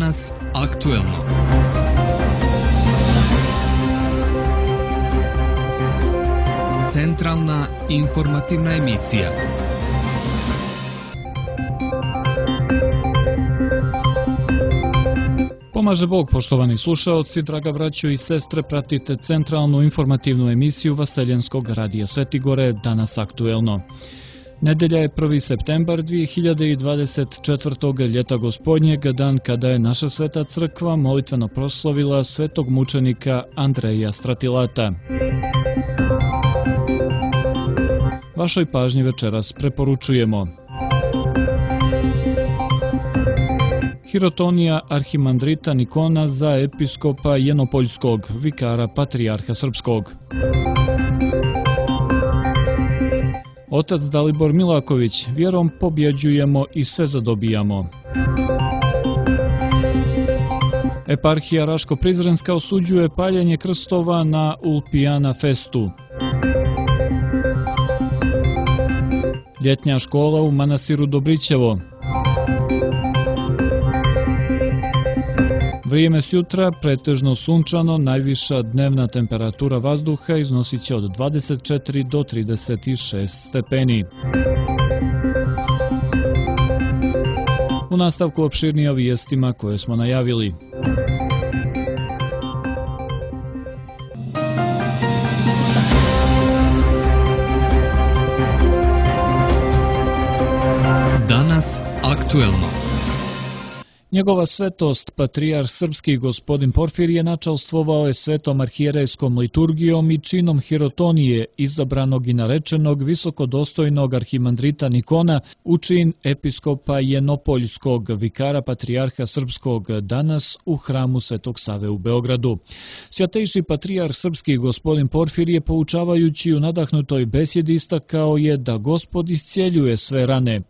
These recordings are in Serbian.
Danas aktuelno. Centralna informativna emisija. Pomaže Bog, poštovani slušaoci, draga braćo i sestre, pratite centralnu informativnu emisiju Vaseljenskog radija Svetigore, Danas aktuelno. Nedelja je 1. septembar 2024. ljeta gospodnjeg, dan kada je naša sveta crkva molitveno proslavila svetog mučenika Andreja Stratilata. Vašoj pažnji večeras preporučujemo hirotonija arhimandrita Nikona za episkopa Jenopoljskog, vikara patrijarha srpskog. Otac Dalibor Milaković, vjerom pobjeđujemo i sve zadobijamo. Eparhija Raško-Prizrenska osuđuje paljenje krstova na Ulpijana festu. Ljetnja škola u manastiru Dobrićevo. Vrijeme sjutra pretežno sunčano, najviša dnevna temperatura vazduha iznosit će od 24 do 36 stepeni. U nastavku opširnije o vijestima koje smo najavili. Danas aktuelno. Njegova svetost, patrijarh srpski gospodin Porfirije, načalstvovao je svetom arhijerejskom liturgijom i činom hirotonije, izabranog i narečenog visokodostojnog arhimandrita Nikona u čin episkopa Jenopoljskog, vikara patrijarha srpskog, danas u hramu Svetog Save u Beogradu. Svjatejši patrijarh srpski gospodin Porfirije, poučavajući u nadahnutoj besjedi, istakao je da Gospod iscijeljuje sve rane.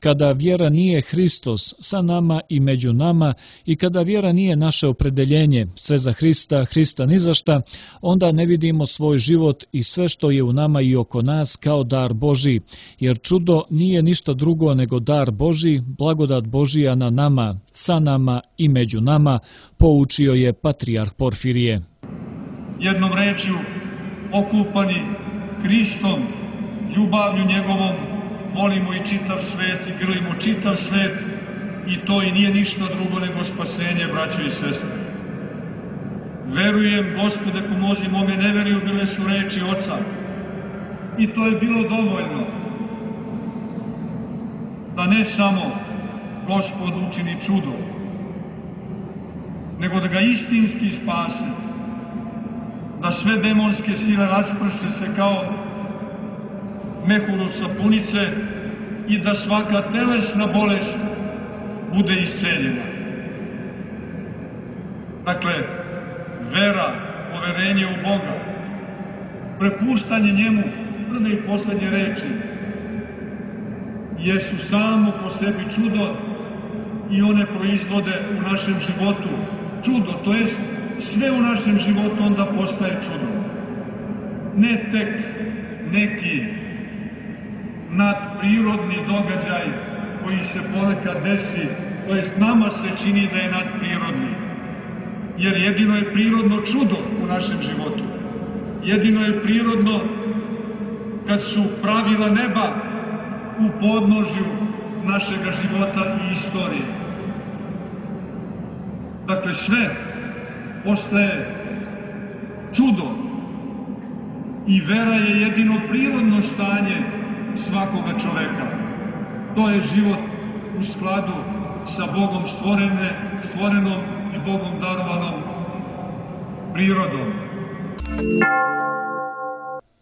Kada vjera nije Hristos sa nama i među nama i kada vjera nije naše opredeljenje, sve za Hrista, Hrista ni za šta, onda ne vidimo svoj život i sve što je u nama i oko nas kao dar Božji, jer čudo nije ništa drugo nego dar Božji, blagodat Božija na nama, sa nama i među nama, poučio je patrijarh Porfirije. Jednom rečju, okupani Hristom, ljubavlju njegovom, volimo i čitav svet i grlimo čitav svet i to i nije ništa drugo nego spasenje, braćo i sestre. Verujem, Gospode, pomozi mome neveriju, bile su reči Oca. I to je bilo dovoljno da ne samo Gospod učini čudo, nego da ga istinski spase, da sve demonske sile rasprše se kao mehur od sapunice i da svaka telesna bolest bude isceljena. Dakle, vera, poverenje u Boga, prepuštanje njemu prve i poslednje reči jesu samo po sebi čudo i one proizvode u našem životu čudo, to jest sve u našem životu onda postaje čudo. Ne tek neki nadprirodni događaj koji se ponekad desi, to jest nama se čini da je nadprirodni. Jer jedino je prirodno čudo u našem životu. Jedino je prirodno kad su pravila neba u podnožju našega života i istorije. Dakle, sve postaje čudo i vera je jedino prirodno stanje svakoga čoveka. To je život u skladu sa Bogom stvorenom i Bogom darovanom prirodom.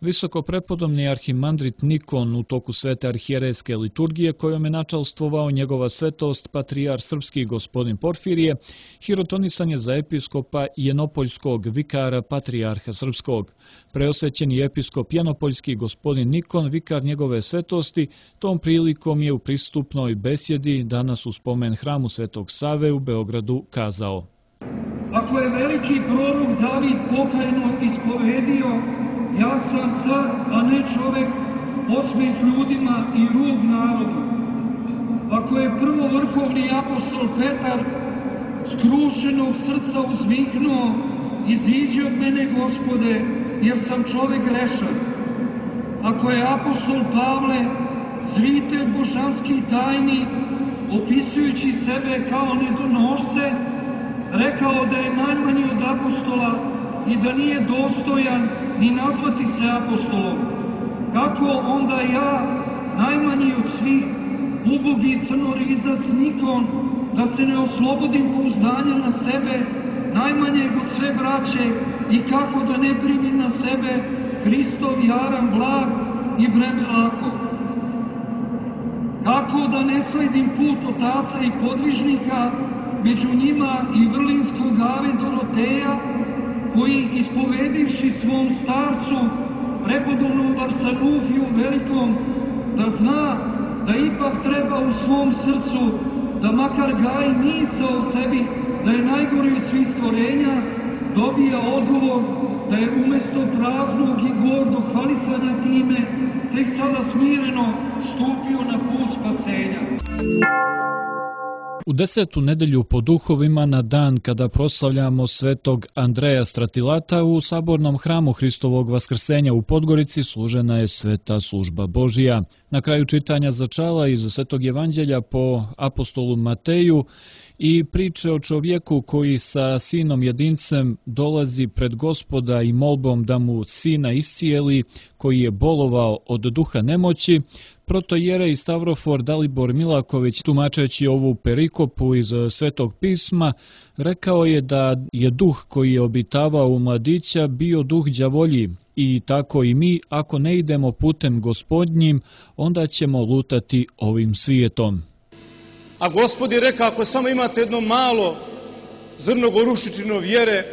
Visokoprepodobni arhimandrit Nikon u toku svete arhijerejske liturgije, kojom je načalstvovao njegova svetost patrijarh srpski gospodin Porfirije, hirotonisan je za episkopa Jenopoljskog, vikara patrijarha srpskog. Preosvećeni episkop Jenopoljski gospodin Nikon, vikar njegove svetosti, tom prilikom je u pristupnoj besjedi danas u spomen hramu Svetog Save u Beogradu kazao: Ako je veliki prorok David pokajno ispovedio: ja sam car, a ne čovek, osmeh ljudima i rub narodu. Ako je prvo vrhovni apostol Petar skrušenog srca uzviknuo: iziđi od mene, Gospode, jer sam čovek grešan. Ako je apostol Pavle, zritelj božanskih tajni, opisujući sebe kao nedonošce, rekao da je najmanji od apostola i da nije dostojan ni nazvati se apostolom, kako onda ja, najmanji od svih, ubogi crnorizac Nikon, da se ne oslobodim pouzdanja na sebe, najmanjeg od sve braće, i kako da ne primim na sebe Hristov jaran blag i breme lako? Kako da ne sledim put otaca i podvižnika, među njima i vrlinskog Ave Doroteja, koji, ispovedivši svom starcu, prepodobnom Varsanufiju velikom, da zna da ipak treba u svom srcu da makar gaji misao o sebi da je najgori od svih stvorenja, dobija odgovor da je umesto praznog i gordog hvalisanja time tek sada smireno stupio na put spasenja. U 10. nedelju po duhovima, na dan kada proslavljamo svetog Andreja Stratilata, u sabornom hramu Hristovog vaskrsenja u Podgorici služena je sveta služba Božija. Na kraju čitanja začala iz Svetog evanđelja po apostolu Mateju i priče o čovjeku koji sa sinom jedincem dolazi pred Gospoda i molbom da mu sina iscijeli, koji je bolovao od duha nemoći, protojerej Stavrofor Dalibor Milaković, tumačeći ovu perikopu iz Svetog pisma, rekao je da je duh koji je obitavao u mladića bio duh đavolji i tako i mi, ako ne idemo putem Gospodnjim, onda ćemo lutati ovim svijetom. A Gospod je rekao, ako samo imate jedno malo zrno gorušičino vjere,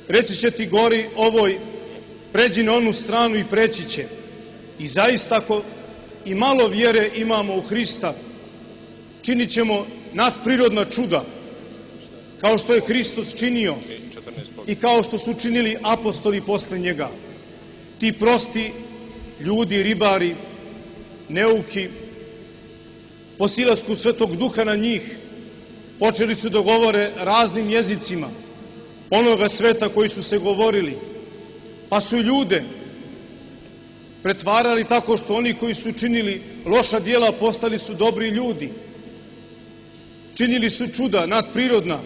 reći će ti gori ovoj, pređi na onu stranu i preći će. I zaista, ako i malo vjere imamo u Hrista, činit ćemo nadprirodna čuda, kao što je Hristos činio i kao što su činili apostoli posle njega. Ti prosti ljudi, ribari, neuki, po silasku Svetog Duha na njih, počeli su da govore raznim jezicima onoga sveta koji su se govorili, pa su ljude pretvarali tako što oni koji su činili loša djela postali su dobri ljudi. Činili su čuda nadprirodna,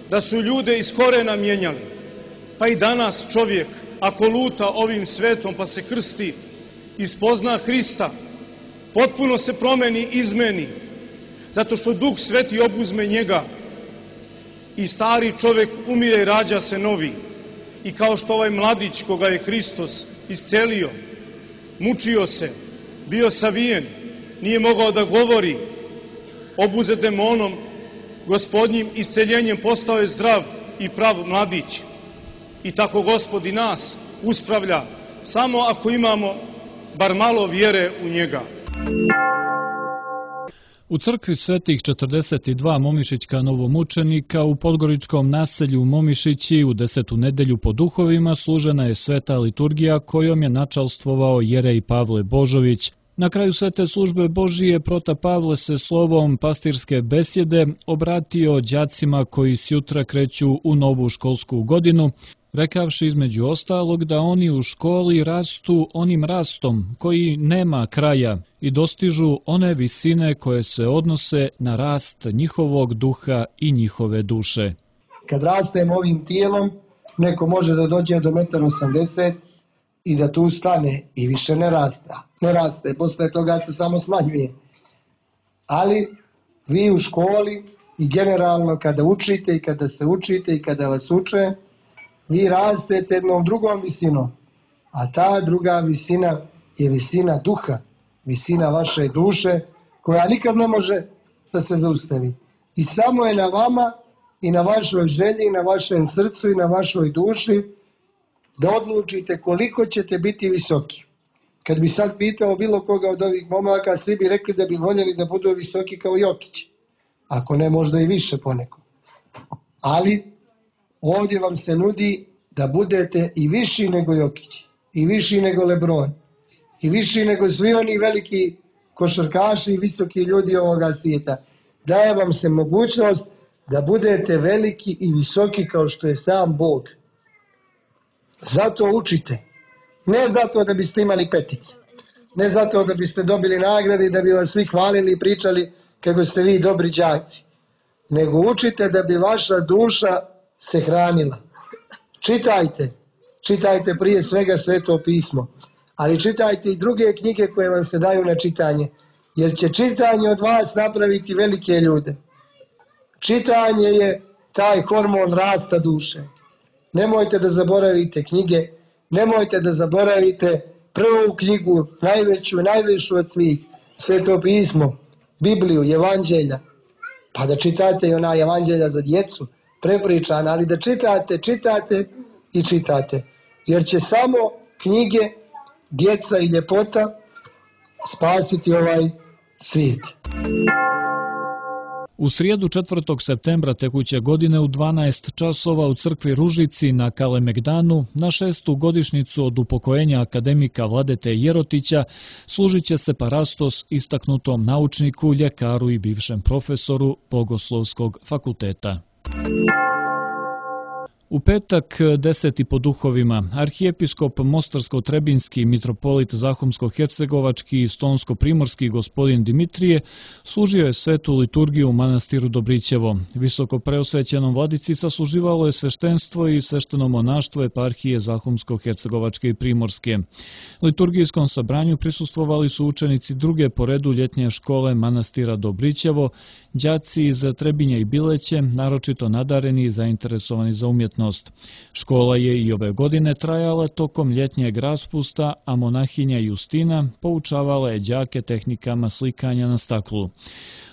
da su ljude iz korena mijenjali. Pa i danas čovjek, ako luta ovim svetom pa se krsti i spozna Hrista, potpuno se promeni, izmeni, zato što Duh Sveti obuzme njega i stari čovjek umire i rađa se novi. I kao što ovaj mladić koga je Hristos iscelio, mučio se, bio savijen, nije mogao da govori, obuzet demonom, Gospodnjim isceljenjem postao je zdrav i prav mladić. I tako Gospod i nas uspravlja, samo ako imamo bar malo vjere u njega. U crkvi Svetih 42 momišićka novomučenika u podgoričkom naselju Momišići u 10. nedelju po duhovima služena je sveta liturgija kojom je načalstvovao jerej Pavle Božović. Na kraju svete službe Božije prota Pavle se slovom pastirske besjede obratio đacima koji sjutra kreću u novu školsku godinu, rekavši između ostalog da oni u školi rastu onim rastom koji nema kraja i dostižu one visine koje se odnose na rast njihovog duha i njihove duše. Kad rastemo ovim tijelom, neko može da dođe do 1,80 m i da tu stane i više ne raste, posle toga se samo smanjuje. Ali vi u školi i generalno kada učite i kada se učite i kada vas uče, vi rastete jednom drugom visinom, a ta druga visina je visina duha, visina vaše duše, koja nikad ne može da se zaustavi. I samo je na vama i na vašoj želji, i na vašem srcu i na vašoj duši da odlučite koliko ćete biti visoki. Kad bi sad pitao bilo koga od ovih momaka, svi bi rekli da bi voljeli da budu visoki kao Jokić. Ako ne, možda i više poneko. Ali ovdje vam se nudi da budete i viši nego Jokić, i viši nego Lebron, i viši nego svi oni veliki košarkaši i visoki ljudi ovoga svijeta. Daje vam se mogućnost da budete veliki i visoki kao što je sam Bog. Zato učite. Ne zato da biste imali petice. Ne zato da biste dobili nagrade i da bi vas svi hvalili i pričali kako ste vi dobri đaci. Nego učite da bi vaša duša se hranila. Čitajte. Čitajte prije svega Sveto pismo. Ali čitajte i druge knjige koje vam se daju na čitanje. Jer će čitanje od vas napraviti velike ljude. Čitanje je taj hormon rasta duše. Nemojte da zaboravite knjige. Nemojte da zaboravite prvu knjigu, najvišu od svih. Sveto pismo, Bibliju, Evanđelja. Pa da čitate i ona Evanđelja za djecu, prepričana, ali da čitate i čitate. Jer će samo knjige, djeca i ljepota spasiti ovaj svijet. U srijedu 4. septembra tekuće godine u 12 časova u crkvi Ružici na Kalemegdanu na 6. godišnjicu od upokojenja akademika Vladete Jerotića služit će se parastos istaknutom naučniku, ljekaru i bivšem profesoru Bogoslovskog fakulteta. U petak 10. po duhovima arhijepiskop Mostarsko-Trebinski, mitropolit Zahumsko-Hercegovački i Stonsko-Primorski gospodin Dimitrije služio je svetu liturgiju u manastiru Dobrićevo. Visoko preosvećenom vladici sasluživalo je sveštenstvo i svešteno monaštvo eparhije Zahumsko-Hercegovačke i Primorske. Liturgijskom sabranju prisustvovali su učenici druge po redu ljetnje škole manastira Dobrićevo, đaci iz Trebinja i Bileće, naročito nadareni i zainteresovani za umjetnost. Škola je i ove godine trajala tokom ljetnjeg raspusta, a monahinja Justina poučavala je đake tehnikama slikanja na staklu.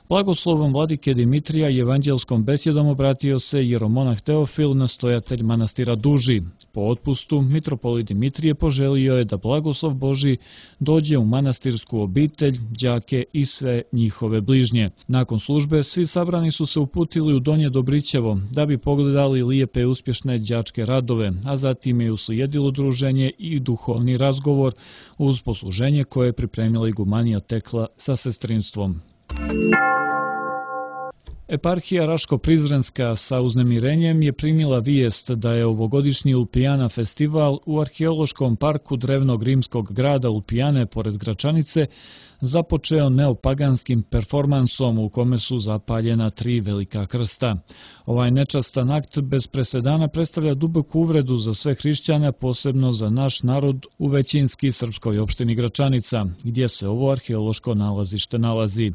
Blagoslovom vladike Dimitrija i evanđelskom besjedom obratio se jeromonah Teofil, nastojatelj manastira Duži. Po otpustu, mitropolit Dimitrije poželio je da blagoslov Božji dođe u manastirsku obitelj, đake i sve njihove bližnje. Nakon službe, svi sabrani su se uputili u Donje Dobrićevo da bi pogledali lijepe i uspješne đačke radove, a zatim je uslijedilo druženje i duhovni razgovor uz posluženje koje je pripremila igumanija Tekla sa sestrinstvom. Eparhija Raško-Prizrenska sa uznemirenjem je primila vijest da je ovogodišnji Ulpijana festival u arheološkom parku drevnog rimskog grada Ulpijane pored Gračanice započeo neopaganskim performansom u kome su zapaljena 3 velika krsta. Ovaj nečastan akt bez presedana predstavlja duboku uvredu za sve hrišćane, posebno za naš narod u većinski srpskoj opštini Gračanica, gdje se ovo arheološko nalazište nalazi.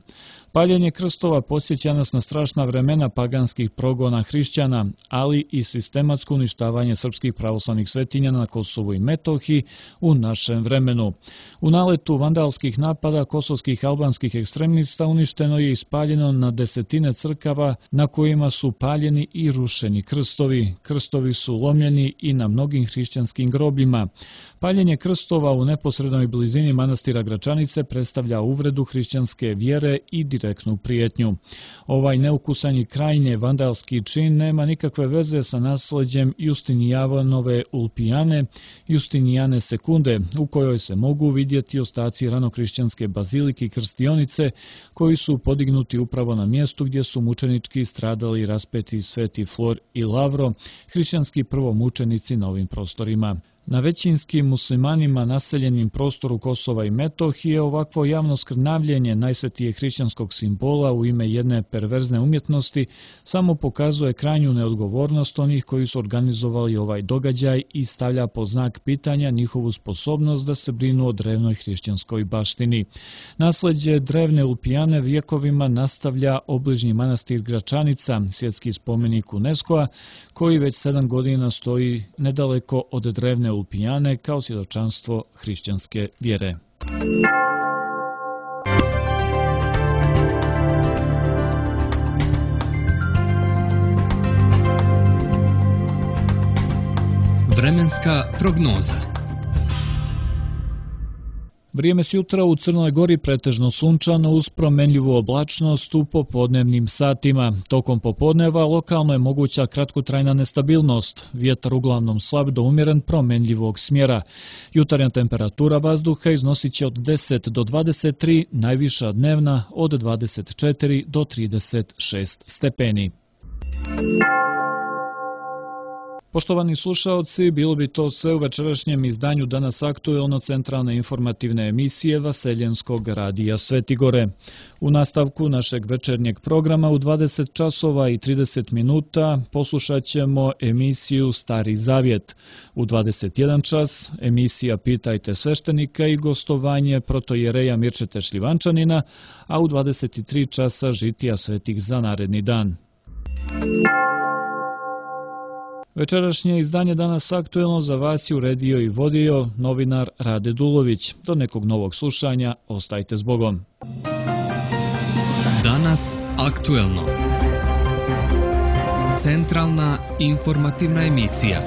Paljenje krstova podsjeća nas na strašna vremena paganskih progona hrišćana, ali i sistematsko uništavanje srpskih pravoslavnih svetinja na Kosovu i Metohiji u našem vremenu. U naletu vandalskih napada kosovskih albanskih ekstremista uništeno je i spaljeno na desetine crkava na kojima su paljeni i rušeni krstovi. Krstovi su lomljeni i na mnogim hrišćanskim grobljima. Paljenje krstova u neposrednoj blizini manastira Gračanice predstavlja uvredu hrišćanske vjere i direktnu prijetnju. Ovaj neukusan i krajnje vandalski čin nema nikakve veze sa nasleđem Justinijanove Ulpijane, Justinijane Sekunde, u kojoj se mogu vidjeti ostaci ranohrišćanske bazilike i krstionice koji su podignuti upravo na mjestu gdje su mučenički stradali i raspeti Sveti Flor i Lavro, hrišćanski prvomučenici na ovim prostorima. Na većinskim muslimanima naseljenim prostoru Kosova i Metohije ovakvo javno skrnavljenje najsvetijeg hrišćanskog simbola u ime jedne perverzne umjetnosti samo pokazuje krajnju neodgovornost onih koji su organizovali ovaj događaj i stavlja pod znak pitanja njihovu sposobnost da se brinu o drevnoj hrišćanskoj baštini. Nasleđe drevne Ulpijane vjekovima nastavlja obližnji manastir Gračanica, svjetski spomenik UNESCO-a, koji već 7 godina stoji nedaleko od drevne Ulpijane kao svjedočanstvo hrišćanske vjere. Vremenska prognoza. Vrijeme s jutra u Crnoj Gori pretežno sunčano uz promenljivu oblačnost u popodnevnim satima. Tokom popodneva lokalno je moguća kratkotrajna nestabilnost. Vjetar uglavnom slab do umjeren promenljivog smjera. Jutarnja temperatura vazduha iznosit će od 10 do 23, najviša dnevna od 24 do 36 stepeni. Poštovani slušaoci, bilo bi to sve u večerašnjem izdanju Danas aktuelno centralne informativne emisije Vaseljenskog radija Svetigore. U nastavku našeg večernjeg programa u 20 časova i 30 minuta poslušat ćemo emisiju Stari Zavjet. U 21 čas emisija Pitajte sveštenika i gostovanje protojereja Mirčete Šljivančanina, a u 23 časa žitija svetih za naredni dan. Večerašnje izdanje Danas aktuelno za vas je uredio i vodio novinar Rade Dulović. Do nekog novog slušanja, ostajte s Bogom. Danas aktuelno. Centralna informativna emisija.